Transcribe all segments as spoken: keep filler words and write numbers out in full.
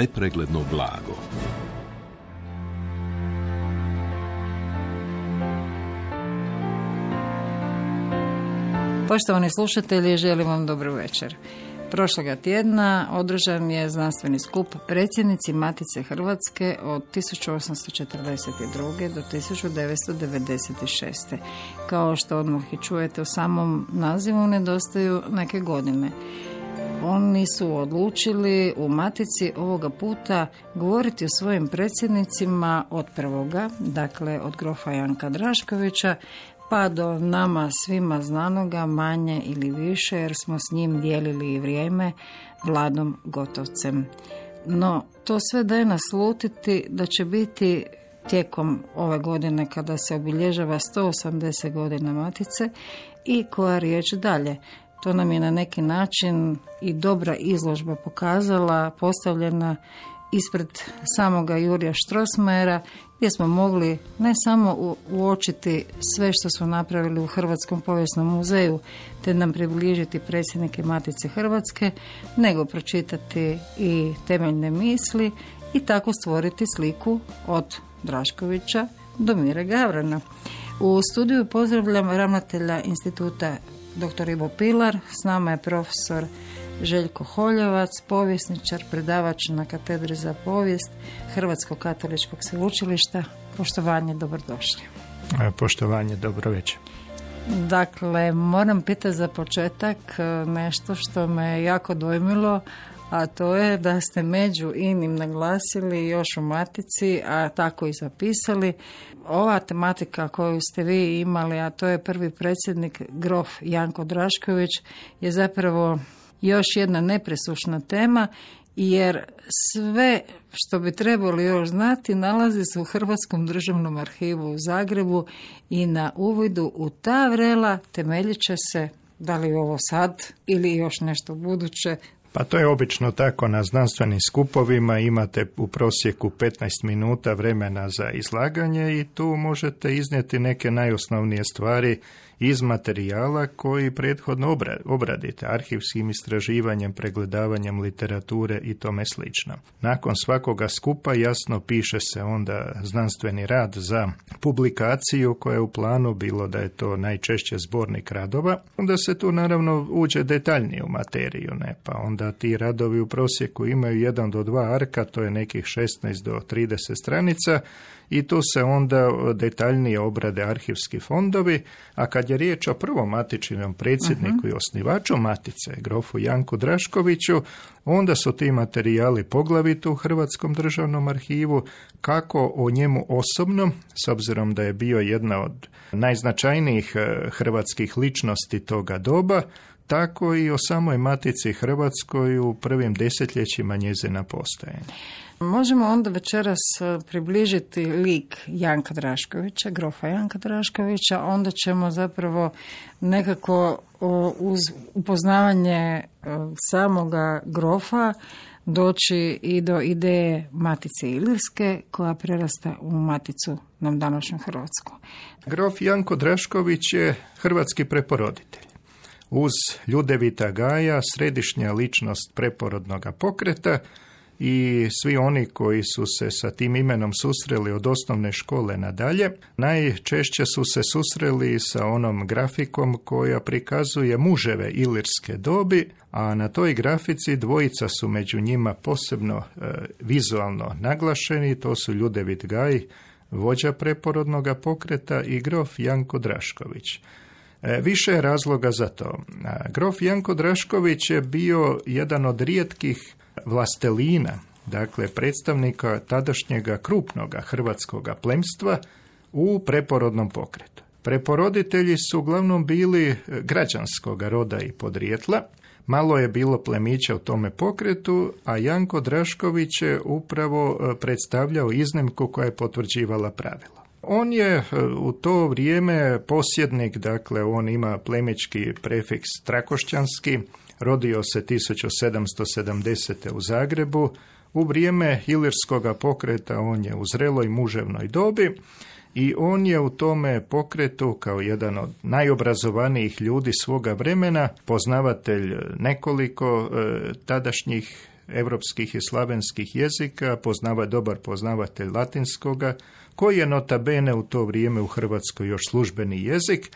nepregledno blago. Poštovani slušatelji, želim vam dobro večer. Prošloga tjedna održan je znanstveni skup predsjednici Matice Hrvatske od tisuću osamsto četrdeset druge do tisuću devetsto devedeset šeste. Kao što odmah i čujete u samom nazivu, nedostaju neke godine. Oni su odlučili u Matici ovoga puta govoriti o svojim predsjednicima od prvoga, dakle od grofa Janka Draškovića, pa do nama svima znanoga manje ili više, jer smo s njim dijelili i vrijeme, Vladom Gotovcem. No, to sve daje naslutiti da će biti tijekom ove godine, kada se obilježava sto osamdeset godina Matice, i koja riječ dalje. To nam je na neki način i dobra izložba pokazala, postavljena ispred samoga Jurija Strossmayera, gdje smo mogli ne samo uočiti sve što su napravili u Hrvatskom povijesnom muzeju, te nam približiti predsjednike Matice Hrvatske, nego pročitati i temeljne misli i tako stvoriti sliku od Draškovića do Mire Gavrana. U studiju pozdravljam ravnatelja instituta doktor Ivo Pilar, s nama je profesor Željko Holjevac, povjesničar, predavač na katedri za povijest Hrvatskog katoličkog sveučilišta. Poštovanje, dobrodošli. Poštovanje, dobro večer. Dakle, moram pitati za početak nešto što me jako dojmilo, a to je da ste među inim naglasili još u Matici, a tako i zapisali. Ova tematika koju ste vi imali, a to je prvi predsjednik grof Janko Drašković, je zapravo još jedna nepresušna tema, jer sve što bi trebali još znati nalazi se u Hrvatskom državnom arhivu u Zagrebu i na uvidu u ta vrela temeljit će se, da li ovo sad ili još nešto buduće. Pa to je obično tako na znanstvenim skupovima, imate u prosjeku petnaest minuta vremena za izlaganje i tu možete iznijeti neke najosnovnije stvari iz materijala koji prethodno obradite arhivskim istraživanjem, pregledavanjem literature i tome slično. Nakon svakoga skupa jasno piše se onda znanstveni rad za publikaciju koja je u planu, bilo da je to najčešće zbornik radova. Onda se tu naravno uđe detaljnije u materiju, ne? Pa onda ti radovi u prosjeku imaju jedan do dva arka, to je nekih šesnaest do trideset stranica, i tu se onda detaljnije obrade arhivski fondovi, a kad je riječ o prvom matičinom predsjedniku uh-huh. i osnivaču Matice, grofu Janku Draškoviću, onda su ti materijali poglavito u Hrvatskom državnom arhivu, kako o njemu osobno, s obzirom da je bio jedna od najznačajnijih hrvatskih ličnosti toga doba, tako i o samoj Matici Hrvatskoj u prvim desetljećima njezina postojanja. Možemo onda večeras približiti lik Janka Draškovića, grofa Janka Draškovića, onda ćemo zapravo nekako uz upoznavanje samoga grofa doći i do ideje Matice Ilirske, koja prerasta u Maticu nam današnju Hrvatsku. Grof Janko Drašković je hrvatski preporoditelj. Uz Ljudevita Gaja, središnja ličnost preporodnog pokreta, i svi oni koji su se sa tim imenom susreli od osnovne škole nadalje, najčešće su se susreli sa onom grafikom koja prikazuje muževe ilirske dobi, a na toj grafici dvojica su među njima posebno e, vizualno naglašeni, to su Ljudevit Gaj, vođa preporodnog pokreta, i grof Janko Drašković. E, više je razloga za to. A, grof Janko Drašković je bio jedan od rijetkih vlastelina, dakle predstavnika tadašnjega krupnoga hrvatskoga plemstva u preporodnom pokretu. Preporoditelji su uglavnom bili građanskog roda i podrijetla, malo je bilo plemića u tome pokretu, a Janko Drašković je upravo predstavljao iznimku koja je potvrđivala pravilo. On je u to vrijeme posjednik, dakle on ima plemički prefiks trakošćanski, rodio se tisuću sedamsto sedamdesete. u Zagrebu. U vrijeme ilirskoga pokreta on je u zreloj muževnoj dobi i on je u tome pokretu kao jedan od najobrazovanijih ljudi svoga vremena, poznavatelj nekoliko e, tadašnjih europskih i slavenskih jezika, poznava, dobar poznavatelj latinskoga, koji je nota bene u to vrijeme u Hrvatskoj još službeni jezik.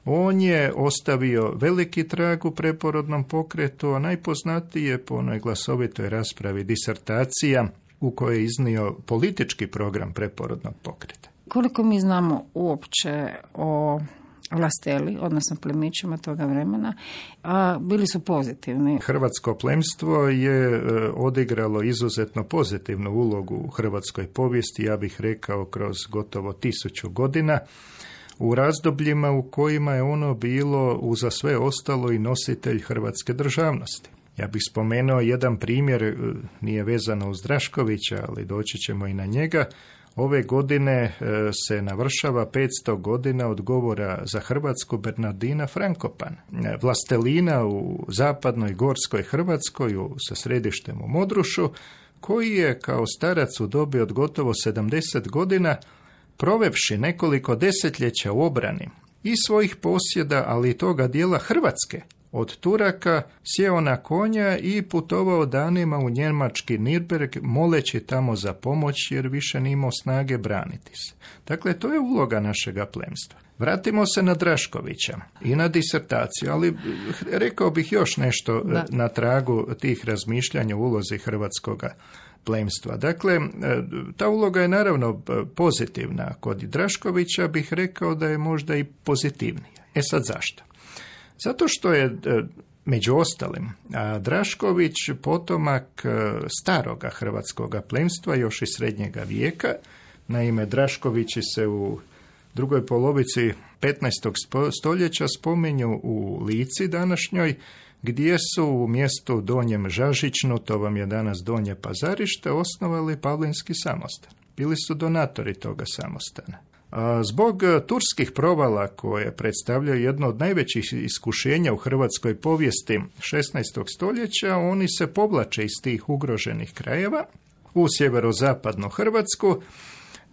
On je ostavio veliki trag u preporodnom pokretu, a najpoznatiji je po onoj glasovitoj raspravi disertacija u kojoj je iznio politički program preporodnog pokreta. Koliko mi znamo uopće o vlasteli, odnosno plemićima toga vremena, a bili su pozitivni? Hrvatsko plemstvo je odigralo izuzetno pozitivnu ulogu u hrvatskoj povijesti, ja bih rekao kroz gotovo tisuću godina, u razdobljima u kojima je ono bilo uza sve ostalo i nositelj hrvatske državnosti. Ja bih spomenuo jedan primjer, nije vezano uz Draškovića, ali doći ćemo i na njega. Ove godine se navršava petsto godina od govora za Hrvatsku Bernardina Frankopana, vlastelina u zapadnoj gorskoj Hrvatskoj sa središtem u Modrušu, koji je kao starac u dobi od gotovo sedamdeset godina, provevši nekoliko desetljeća u obrani i svojih posjeda, ali i toga dijela Hrvatske od Turaka, sjeo na konja i putovao danima u njemački Nürnberg, moleći tamo za pomoć jer više nije imao snage braniti se. Dakle, to je uloga našega plemstva. Vratimo se na Draškovića i na disertaciju, ali rekao bih još nešto da. na tragu tih razmišljanja o ulozi hrvatskoga plemstva. Dakle, ta uloga je naravno pozitivna. Kod Draškovića bih rekao da je možda i pozitivnija. E sad zašto? Zato što je, među ostalim, Drašković potomak staroga hrvatskoga plemstva, još iz srednjega vijeka. Naime, Draškovići se u drugoj polovici petnaestog stoljeća spominju u Lici današnjoj, gdje su u mjestu Donjem Žažićnu, to vam je danas Donje Pazarište, osnovali Pavlinski samostan. Bili su donatori toga samostana. A zbog turskih provala koje predstavljaju jedno od najvećih iskušenja u hrvatskoj povijesti šesnaestog stoljeća, oni se povlače iz tih ugroženih krajeva u sjeverozapadnu Hrvatsku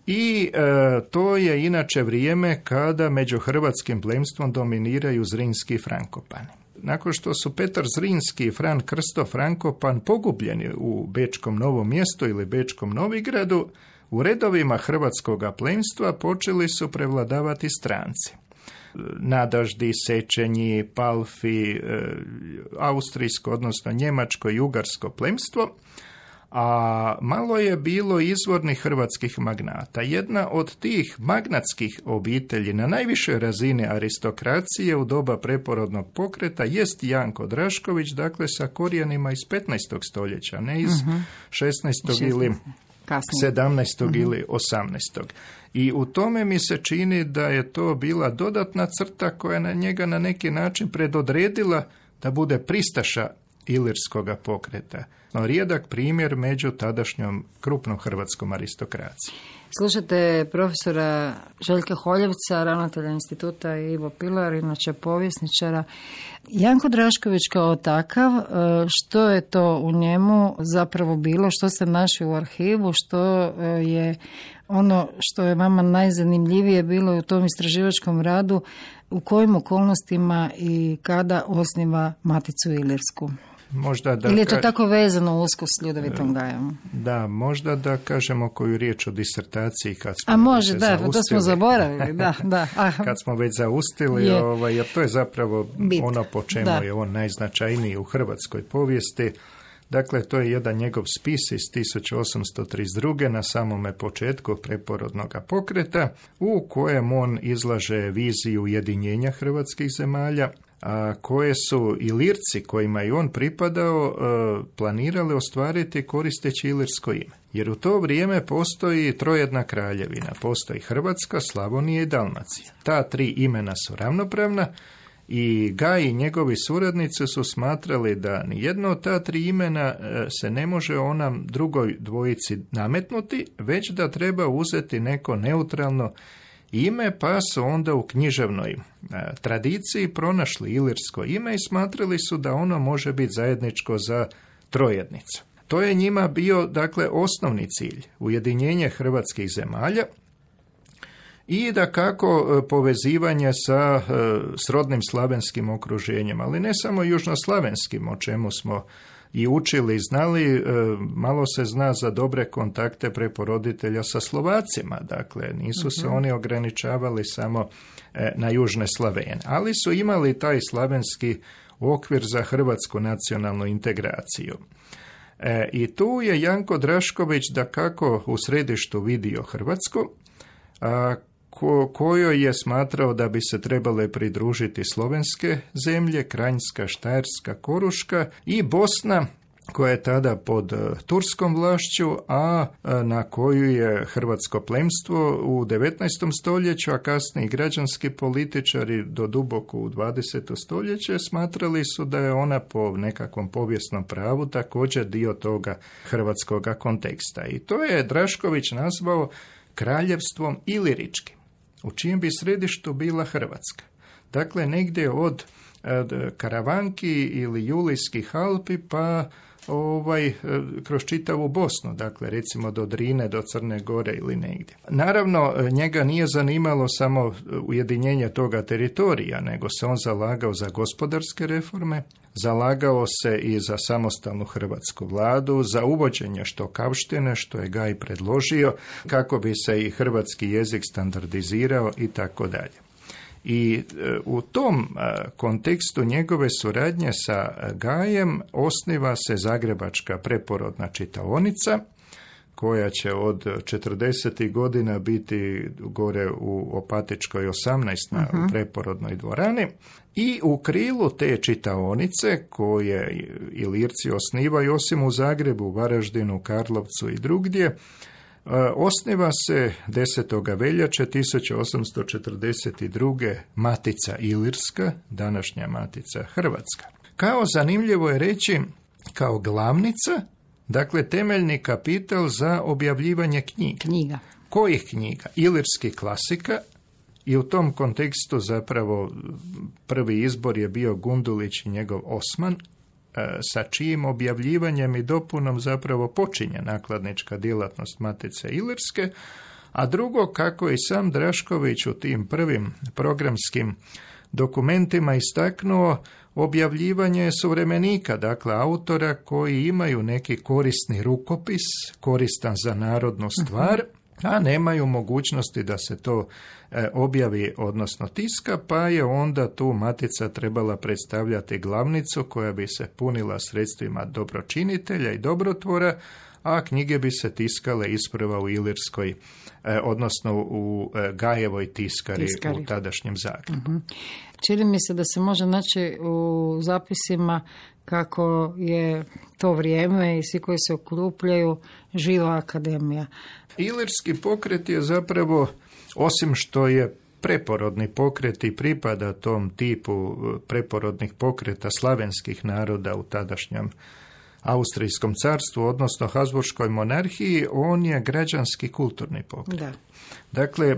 i e, to je inače vrijeme kada među hrvatskim plemstvom dominiraju Zrinski i Frankopani. Nakon što su Petar Zrinski i Fran Krsto Frankopan pogubljeni u Bečkom Novom Mjestu ili Bečkom Novigradu, u redovima hrvatskoga plemstva počeli su prevladavati stranci. Nadaždi, Sečenji, Palfi, austrijsko, odnosno njemačko i ugarsko plemstvo, a malo je bilo izvornih hrvatskih magnata. Jedna od tih magnatskih obitelji na najvišoj razini aristokracije u doba preporodnog pokreta jest Janko Drašković, dakle sa korijenima iz petnaestog stoljeća, ne iz uh-huh. šesnaestog ili kasnije. sedamnaestog uh-huh. ili osamnaestog. I u tome mi se čini da je to bila dodatna crta koja na njega na neki način predodredila da bude pristaša ilirskoga pokreta. No, rijedak primjer među tadašnjom krupnom hrvatskom aristokracijom. Slušate profesora Željka Holjevca, ravnatelja instituta, i Ivo Pilar, inače povjesničara. Janko Drašković kao takav, što je to u njemu zapravo bilo, što ste našli u arhivu, što je ono što je vama najzanimljivije bilo u tom istraživačkom radu, u kojim okolnostima i kada osniva Maticu ilirsku? Možda da Ili je to ka... tako vezano usko s Ljudovitom Gajom? Da, možda da kažemo koju riječ o disertaciji kad smo A može, već da, zaustili. to smo zaboravili, da, da. Aha. Kad smo već zaustili, je. ovaj, jer to je zapravo Bit. ono po čemu da. je on najznačajniji u hrvatskoj povijesti. Dakle, to je jedan njegov spis iz tisuću osamsto trideset druge na samome početku preporodnog pokreta, u kojem on izlaže viziju ujedinjenja hrvatskih zemalja, a koje su Ilirci, kojima je on pripadao, planirali ostvariti koristeći ilirsko ime. Jer u to vrijeme postoji trojedna kraljevina, postoji Hrvatska, Slavonija i Dalmacija. Ta tri imena su ravnopravna i Gaj i njegovi suradnici su smatrali da nijedno od ta tri imena se ne može onam drugoj dvojici nametnuti, već da treba uzeti neko neutralno ime, pa su onda u književnoj tradiciji pronašli ilirsko ime i smatrali su da ono može biti zajedničko za trojednicu. To je njima bio, dakle, osnovni cilj, ujedinjenje hrvatskih zemalja i da kako povezivanje sa srodnim slavenskim okruženjem, ali ne samo južnoslavenskim, o čemu smo i učili i znali, malo se zna za dobre kontakte preporoditelja sa Slovacima, dakle nisu se uh-huh. oni ograničavali samo na južne Slavene, ali su imali taj slavenski okvir za hrvatsku nacionalnu integraciju. E, I tu je Janko Drašković dakako u središtu vidio Hrvatsku, a, ko, kojoj je smatrao da bi se trebale pridružiti slovenske zemlje, Kranjska, Štajerska, Koruška i Bosna, koja je tada pod turskom vlašću, a na koju je hrvatsko plemstvo u devetnaestom stoljeću, a kasnije građanski političari do duboko u dvadeseto stoljeće smatrali su da je ona po nekakvom povijesnom pravu također dio toga hrvatskog konteksta. I to je Drašković nazvao kraljevstvom iliričkim, u čijem bi središtu bila Hrvatska. Dakle, negdje od Karavanki ili Julijskih Alpi pa ovaj, kroz čitavu Bosnu, dakle recimo do Drine, do Crne Gore ili negdje. Naravno, njega nije zanimalo samo ujedinjenje toga teritorija, nego se on zalagao za gospodarske reforme, zalagao se i za samostalnu hrvatsku vladu, za uvođenje štokavštine, što je Gaj predložio, kako bi se i hrvatski jezik standardizirao i tako dalje. I u tom kontekstu njegove suradnje sa Gajem osniva se Zagrebačka preporodna čitaonica, koja će od četrdesetih godina biti gore u Opatičkoj osamnaest na uh-huh. u preporodnoj dvorani. I u krilu te čitaonice, koje Ilirci osnivaju osim u Zagrebu, Varaždinu, Karlovcu i drugdje, osniva se desetog veljače tisuću osamsto četrdeset druge Matica Ilirska, današnja Matica Hrvatska. Kao zanimljivo je reći, kao glavnica, dakle temeljni kapital za objavljivanje knjiga. Knjiga. Kojih knjiga? Ilirskih klasika, i u tom kontekstu zapravo prvi izbor je bio Gundulić i njegov Osman, sa čijim objavljivanjem i dopunom zapravo počinje nakladnička djelatnost Matice Ilirske, a drugo, kako i sam Drašković u tim prvim programskim dokumentima istaknuo, objavljivanje suvremenika, dakle autora koji imaju neki korisni rukopis, koristan za narodnu stvar, a nemaju mogućnosti da se to e, objavi, odnosno tiska, pa je onda tu Matica trebala predstavljati glavnicu koja bi se punila sredstvima dobročinitelja i dobrotvora, a knjige bi se tiskale isprva u Ilirskoj, e, odnosno u e, Gajevoj tiskari, tiskari u tadašnjem Zagrebu. Uh-huh. Čini mi se da se može naći u zapisima kako je to vrijeme i svi koji se okupljaju živa akademija. Ilirski pokret je zapravo, osim što je preporodni pokret i pripada tom tipu preporodnih pokreta slavenskih naroda u tadašnjem Austrijskom carstvu, odnosno Habsburškoj monarhiji, on je građanski kulturni pokret. Da. Dakle,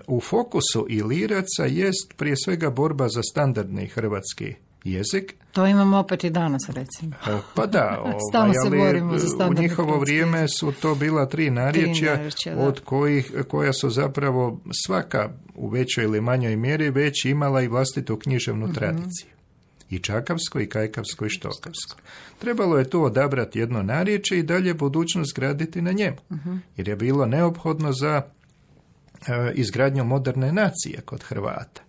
u fokusu Iliraca jest prije svega borba za standardni hrvatski jezik. To imamo opet i danas, recimo. Pa da, ovaj, se borimo za u njihovo vrijeme su to bila tri narječja, tri narječja od kojih, koja su zapravo svaka u većoj ili manjoj mjeri već imala i vlastitu književnu uh-huh. tradiciju. I čakavsko, i kajkavsko, i štokavsko. Trebalo je tu odabrati jedno narječje i dalje budućnost graditi na njemu. Uh-huh. Jer je bilo neophodno za e, izgradnju moderne nacije kod Hrvata.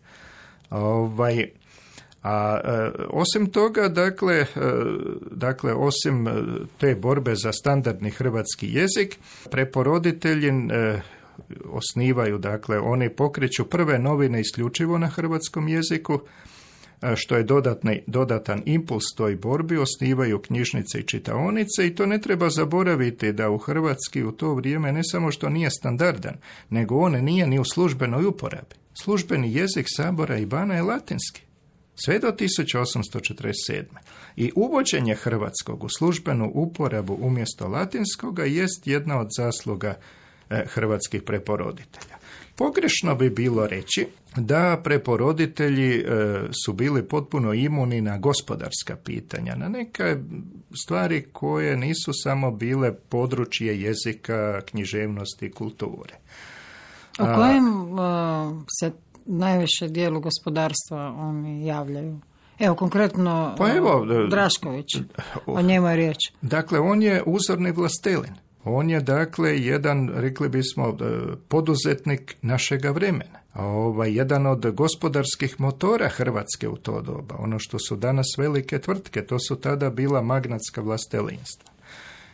Ovaj... A e, osim toga, dakle, e, dakle, osim te borbe za standardni hrvatski jezik, preporoditelji e, osnivaju, dakle, oni pokreću prve novine isključivo na hrvatskom jeziku, e, što je dodatni, dodatan impuls toj borbi, osnivaju knjižnice i čitaonice i to ne treba zaboraviti da u hrvatski u to vrijeme ne samo što nije standardan, nego on nije ni u službenoj uporabi. Službeni jezik Sabora i Bana je latinski. Sve do tisuću osamsto četrdeset sedme. I uvođenje hrvatskog u službenu uporabu umjesto latinskoga jest jedna od zasluga e, hrvatskih preporoditelja. Pogrešno bi bilo reći da preporoditelji e, su bili potpuno imuni na gospodarska pitanja, na neke stvari koje nisu samo bile područje jezika, književnosti i kulture. U kojem uh, se najviše dijelu gospodarstva oni javljaju? Evo, konkretno pa evo, Drašković, o njemu je riječ. Dakle, on je uzorni vlastelin. On je, dakle, jedan, rekli bismo, poduzetnik našega vremena. Ovaj, jedan od gospodarskih motora Hrvatske u to doba. Ono što su danas velike tvrtke, to su tada bila magnatska vlastelinstva.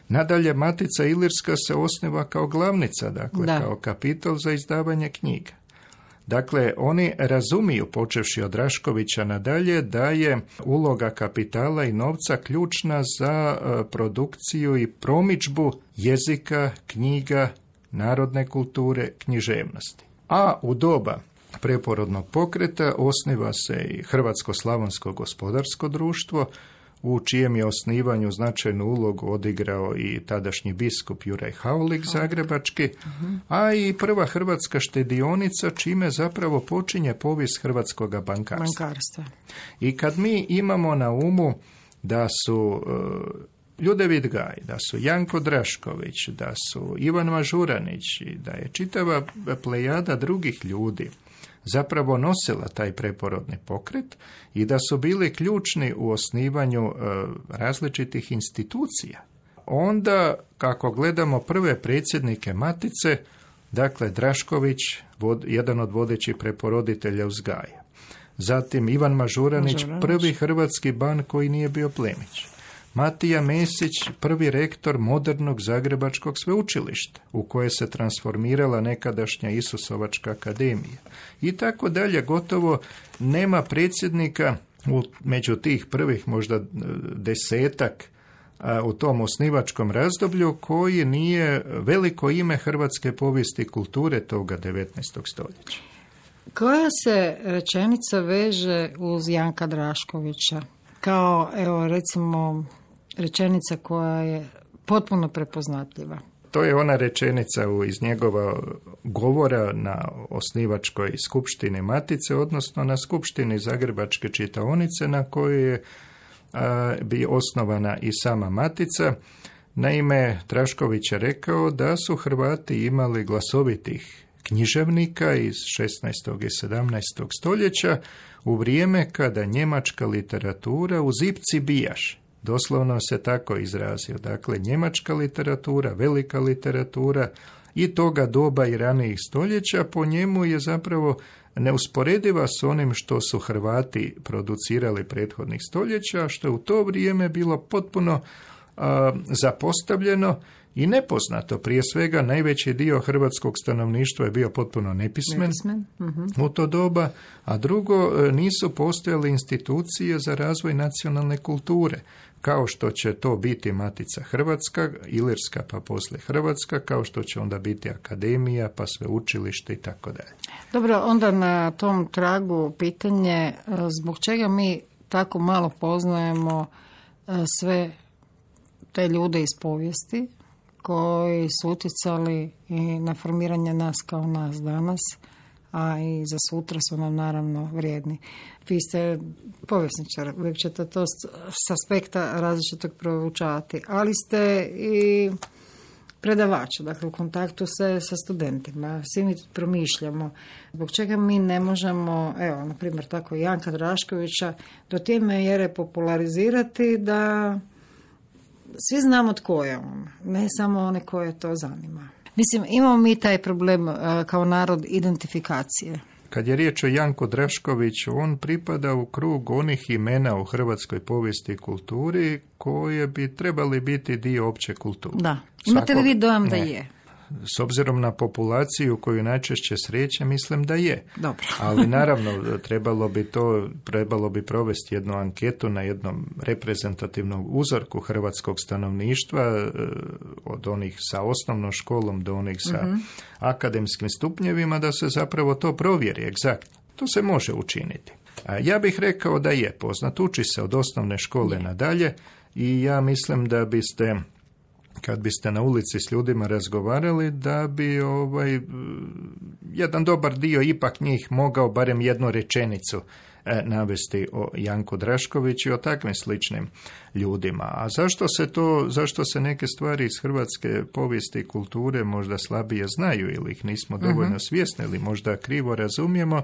Nadalje, Matica Ilirska se osniva kao glavnica, dakle, da. kao kapital za izdavanje knjiga. Dakle, oni razumiju, počevši od Draškovića nadalje, da je uloga kapitala i novca ključna za produkciju i promidžbu jezika, knjiga, narodne kulture, književnosti. A u doba preporodnog pokreta osniva se i Hrvatsko-slavonsko gospodarsko društvo, u čijem je osnivanju značajnu ulogu odigrao i tadašnji biskup Juraj Haulik zagrebački, a i prva hrvatska štedionica, čime zapravo počinje povijest hrvatskog bankarstva. bankarstva. I kad mi imamo na umu da su uh, Ljudevit Gaj, da su Janko Drašković, da su Ivan Mažuranić i da je čitava plejada drugih ljudi zapravo nosila taj preporodni pokret i da su bili ključni u osnivanju e, različitih institucija. Onda, kako gledamo prve predsjednike Matice, dakle Drašković, vod, jedan od vodećih preporoditelja uzgaja. Zatim Ivan Mažuranić, Mažuranić, prvi hrvatski ban koji nije bio plemić. Matija Mesić, prvi rektor modernog Zagrebačkog sveučilišta, u koje se transformirala nekadašnja Isusovačka akademija. I tako dalje, gotovo nema predsjednika u, među tih prvih možda desetak a, u tom osnivačkom razdoblju koji nije veliko ime hrvatske povijesti i kulture toga devetnaestog stoljeća. Koja se rečenica veže uz Janka Draškovića? Kao, evo, recimo, rečenica koja je potpuno prepoznatljiva. To je ona rečenica iz njegova govora na osnivačkoj skupštini Matice, odnosno na skupštini Zagrebačke čitaonice na kojoj je a, bi osnovana i sama Matica. Naime, Drašković je rekao da su Hrvati imali glasovitih književnika iz šesnaestog i sedamnaestog stoljeća u vrijeme kada njemačka literatura u zipci bijaš. Doslovno se tako izrazio. Dakle, njemačka literatura, velika literatura i toga doba i ranijih stoljeća po njemu je zapravo neusporediva s onim što su Hrvati producirali prethodnih stoljeća, što je u to vrijeme bilo potpuno a, zapostavljeno i nepoznato. Prije svega, najveći dio hrvatskog stanovništva je bio potpuno nepismen, nepismen. Uh-huh. u to doba, a drugo, nisu postojale institucije za razvoj nacionalne kulture, kao što će to biti Matica Hrvatska, Ilirska pa poslije Hrvatska, kao što će onda biti akademija, pa sveučilište i tako dalje. Dobro, onda na tom tragu pitanje, zbog čega mi tako malo poznajemo sve te ljude iz povijesti, koji su utjecali i na formiranje nas kao nas danas, a i za sutra su nam naravno vrijedni. Vi ste povjesničar, uvijek ćete to s aspekta različitog proučavati, ali ste i predavač, dakle u kontaktu se sa studentima, svi mi promišljamo. Zbog čega mi ne možemo, evo, na primjer tako Janka Draškovića, do te mjere popularizirati da svi znamo tko je on, ne samo one koje to zanima. Mislim, imamo mi taj problem uh, kao narod identifikacije. Kad je riječ o Janku Draškoviću, on pripada u krug onih imena u hrvatskoj povijesti i kulturi koje bi trebali biti dio opće kulture. Da. Imate li vi dojam ne. da je? S obzirom na populaciju koju najčešće sreće, mislim da je. Dobro. Ali naravno, trebalo bi to, trebalo bi provesti jednu anketu na jednom reprezentativnom uzorku hrvatskog stanovništva, od onih sa osnovnom školom do onih sa uh-huh. akademskim stupnjevima, da se zapravo to provjeri egzaktno. To se može učiniti. A ja bih rekao da je poznat, uči se od osnovne škole je. nadalje i ja mislim da biste, kad biste na ulici s ljudima razgovarali, da bi ovaj jedan dobar dio ipak njih mogao barem jednu rečenicu e, navesti o Janku Draškoviću i o takvim sličnim ljudima. A zašto se to, zašto se neke stvari iz hrvatske povijesti i kulture možda slabije znaju ili ih nismo dovoljno uh-huh. svjesni ili možda krivo razumijemo?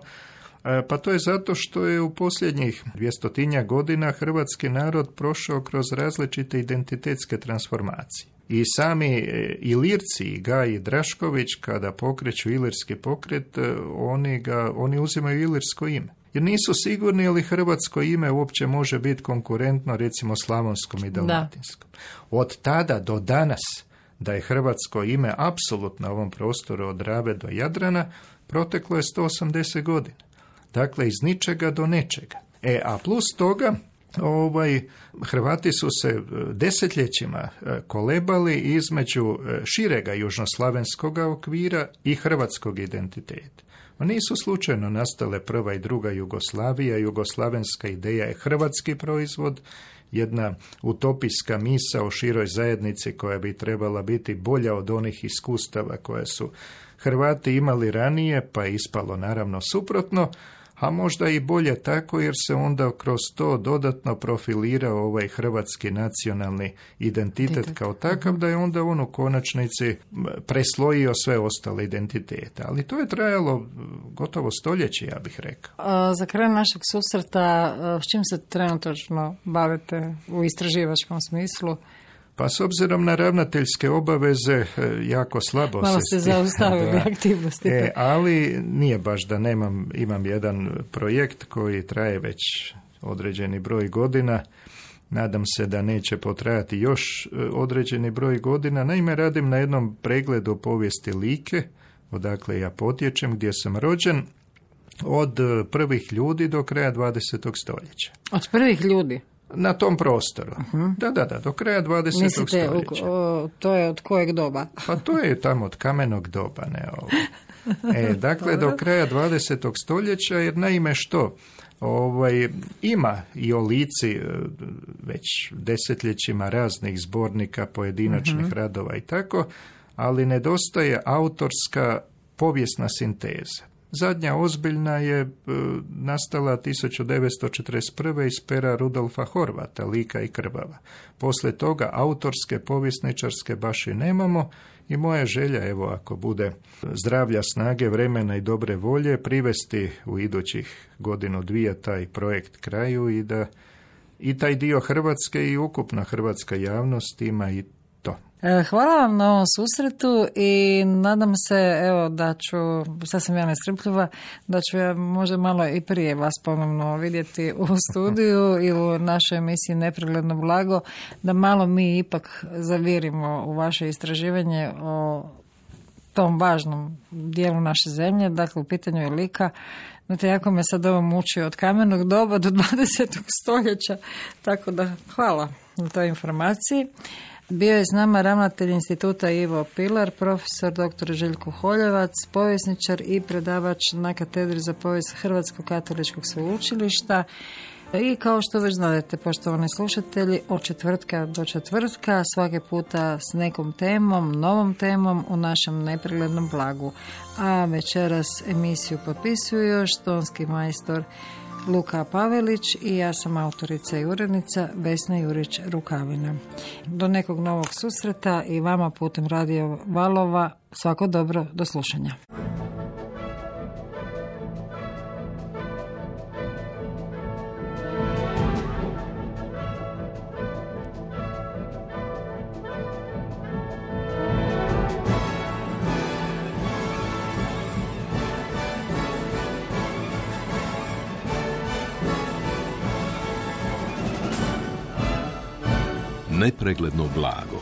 Pa to je zato što je u posljednjih dvjestotinja godina hrvatski narod prošao kroz različite identitetske transformacije. I sami Ilirci, Gaj i Drašković, kada pokreću ilirski pokret, oni, ga, oni uzimaju ilirsko ime. Jer nisu sigurni je li hrvatsko ime uopće može biti konkurentno recimo slavonskom i dalmatinskom. Da. Od tada do danas da je hrvatsko ime apsolutno na ovom prostoru od Drave do Jadrana proteklo je sto osamdeset godina. Dakle, iz ničega do nečega. E, a plus toga, ovaj, Hrvati su se desetljećima kolebali između širega južnoslavenskog okvira i hrvatskog identiteta. Nisu slučajno nastale prva i druga Jugoslavija. Jugoslavenska ideja je hrvatski proizvod, jedna utopijska misa o široj zajednici koja bi trebala biti bolja od onih iskustava koje su Hrvati imali ranije, pa je ispalo naravno suprotno, a možda i bolje tako jer se onda kroz to dodatno profilirao ovaj hrvatski nacionalni identitet kao takav, da je onda on u konačnici preslojio sve ostale identitete. Ali to je trajalo gotovo stoljeće, ja bih rekao. A za kraj našeg susreta, s čim se trenutačno bavite u istraživačkom smislu? Pa s obzirom na ravnateljske obaveze jako slabo Malo se... se zaustavili aktivnosti. E, ali nije baš da nemam, imam jedan projekt koji traje već određeni broj godina. Nadam se da neće potrajati još određeni broj godina. Naime, radim na jednom pregledu povijesti Like, odakle ja potječem, gdje sam rođen, od prvih ljudi do kraja dvadesetog stoljeća. Od prvih ljudi? Na tom prostoru. Uh-huh. Da, da, da, do kraja dvadesetog Mislite, stoljeća. O, to je od kojeg doba? Pa to je tamo od kamenog doba, ne ovo. E, dakle, do kraja dvadesetog stoljeća, jer naime što? Ovaj, ima i o Lici već desetljećima raznih zbornika, pojedinačnih uh-huh. radova i tako, ali nedostaje autorska povijesna sinteza. Zadnja ozbiljna je e, nastala tisuću devetsto četrdeset prve iz pera Rudolfa Horvata, Lika i krvava. Poslije toga autorske, povjesničarske baš i nemamo i moja želja, evo ako bude zdravlja, snage, vremena i dobre volje, privesti u idućih godinu dvije taj projekt kraju i da i taj dio Hrvatske i ukupna hrvatska javnost ima i to. Hvala vam na ovom susretu i nadam se, evo, da ću, sad sam ja nestrpljiva, da ću ja možda malo i prije vas ponovno vidjeti u studiju ili u našoj emisiji Nepregledno blago, da malo mi ipak zavirimo u vaše istraživanje o tom važnom dijelu naše zemlje, dakle u pitanju je Lika. Znate, jako me sad ovo muči od kamenog doba do dvadesetog stoljeća, tako da hvala na toj informaciji. Bio je s nama ravnatelj instituta Ivo Pilar, profesor doktor Željko Holjevac, povjesničar i predavač na katedri za povijest Hrvatskog katoličkog sveučilišta. I kao što već znate, poštovani slušatelji, od četvrtka do četvrtka, svake puta s nekom temom, novom temom u našem nepreglednom blagu. A večeras emisiju potpisuju još tonski majstor Luka Pavelić i ja sam autorica i urednica Vesna Jurić-Rukavina. Do nekog novog susreta i vama putem radio valova svako dobro, do slušanja. Nepregledno blago.